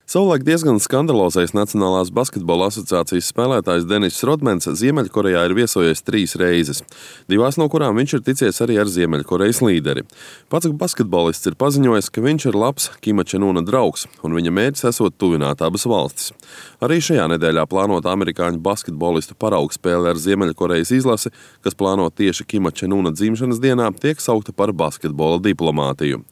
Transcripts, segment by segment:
Savulaik diezgan skandalozais Nacionālās basketbola asociācijas spēlētājs Denis Rodmans Ziemeļkorejā ir viesojies 3 reizes, 2 no kurām viņš ir ticies arī ar Ziemeļkorejas līderi. Pats basketbolists ir paziņojis, ka viņš ir labs Kima Čen Una draugs, un viņa mērķis esot tuvināt abas valstis. Arī šajā nedēļā plānota amerikāņu basketbolistu paraugu spēle ar Ziemeļkorejas izlasi, kas plānota tieši Kima Čen Una dzimšanas dienā, tiek saukta par basketbola diplomātiju.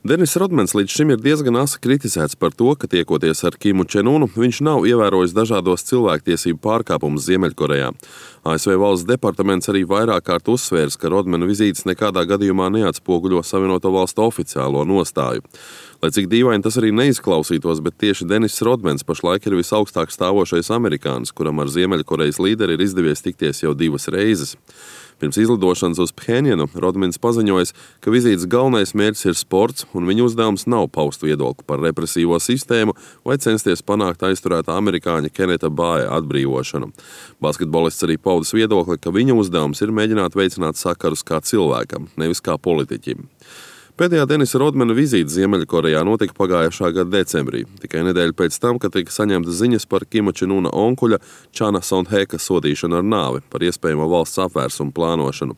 Denis Rodmans līdz šim ir diezgan asi kritizēts par to, ka tiekoties ar Kimu Čen Unu, viņš nav ievērojis dažādos cilvēktiesību pārkāpumus Ziemeļkorejā. ASV valsts departaments arī vairāk kārt uzsvērs, ka Rodmana vizītes nekādā gadījumā neatspoguļo Savienoto Valstu oficiālo nostāju. Lai cik dīvaini tas arī neizklausītos, bet tieši Denis Rodmans pašlaik ir visaugstāk stāvošais amerikānis, kuram ar Ziemeļkorejas līderi ir izdevies tikties jau 2 reizes. Pirms izlidošanas uz Phenjanu Rodmans paziņojis, ka vizītes galvenais mērķis ir sports, un viņa uzdevums nav paust viedokli par represīvo sistēmu vai censties panākt aizturētā amerikāņa Keneta Bāja atbrīvošanu. Basketbolists arī paudis viedokli, ka viņa uzdevums ir mēģināt veicināt sakarus kā cilvēkam, nevis kā politiķim. Pēdējā Denisa Rodmana vizīte Ziemeļkorejā notika pagājušā gada decembrī, tikai nedēļu pēc tam, kad tika saņemtas ziņas par Kima Čen Una onkuļa Čana Son-heka sodīšanu ar nāvi par iespējamo valsts apvērsumu plānošanu.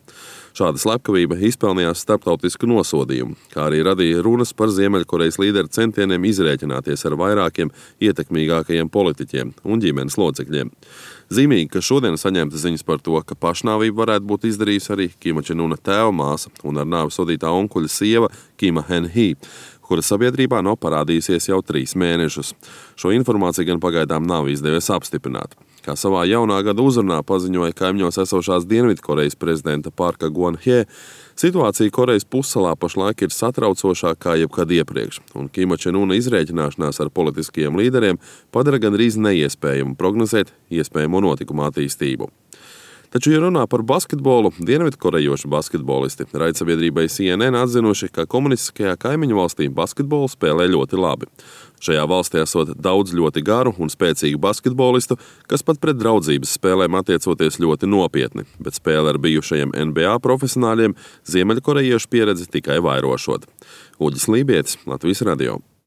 Šāda slepkavība izpelnījās starptautisku nosodījumu, kā arī radīja runas par Ziemeļkorejas līderu centieniem izrēķināties ar vairākiem ietekmīgākajiem politiķiem un ģimenes locekļiem. Zīmīgi, ka šodien saņemta ziņas par to, ka pašnāvību varētu būt izdarījusi arī Kima Čen Una tēva māsa un ar nāvi sodītā onkuļa sieva Kima Hen-hī, kura sabiedrībā nav parādījusies jau 3 mēnešus. Šo informāciju gan pagaidām nav izdevies apstiprināt. Kā savā jaunā gada uzrunā paziņoja kaimiņos esošās Dienvidkorejas prezidenta Parka Geun-hye, situācija Korejas pussalā pašlaik ir satraucošākā kā jebkad iepriekš, un Kima Čen Una izrēķināšanās ar politiskajiem līderiem padara gandrīz neiespējamu prognozēt iespējamo notikumu attīstību. Taču, ja runā par basketbolu, dienvidkorejoši basketbolisti raidsabiedrībai CNN atzinuši, ka komunistiskajā kaimiņu valstī basketbolu spēlē ļoti labi. Šajā valstī esot daudz ļoti garu un spēcīgu basketbolistu, kas pat pret draudzības spēlēm attiecoties ļoti nopietni, bet spēle ar bijušajiem NBA profesionāļiem ziemeļkorejiešu pieredzi tikai vairošot. Uģis Lībietis, Latvijas radio.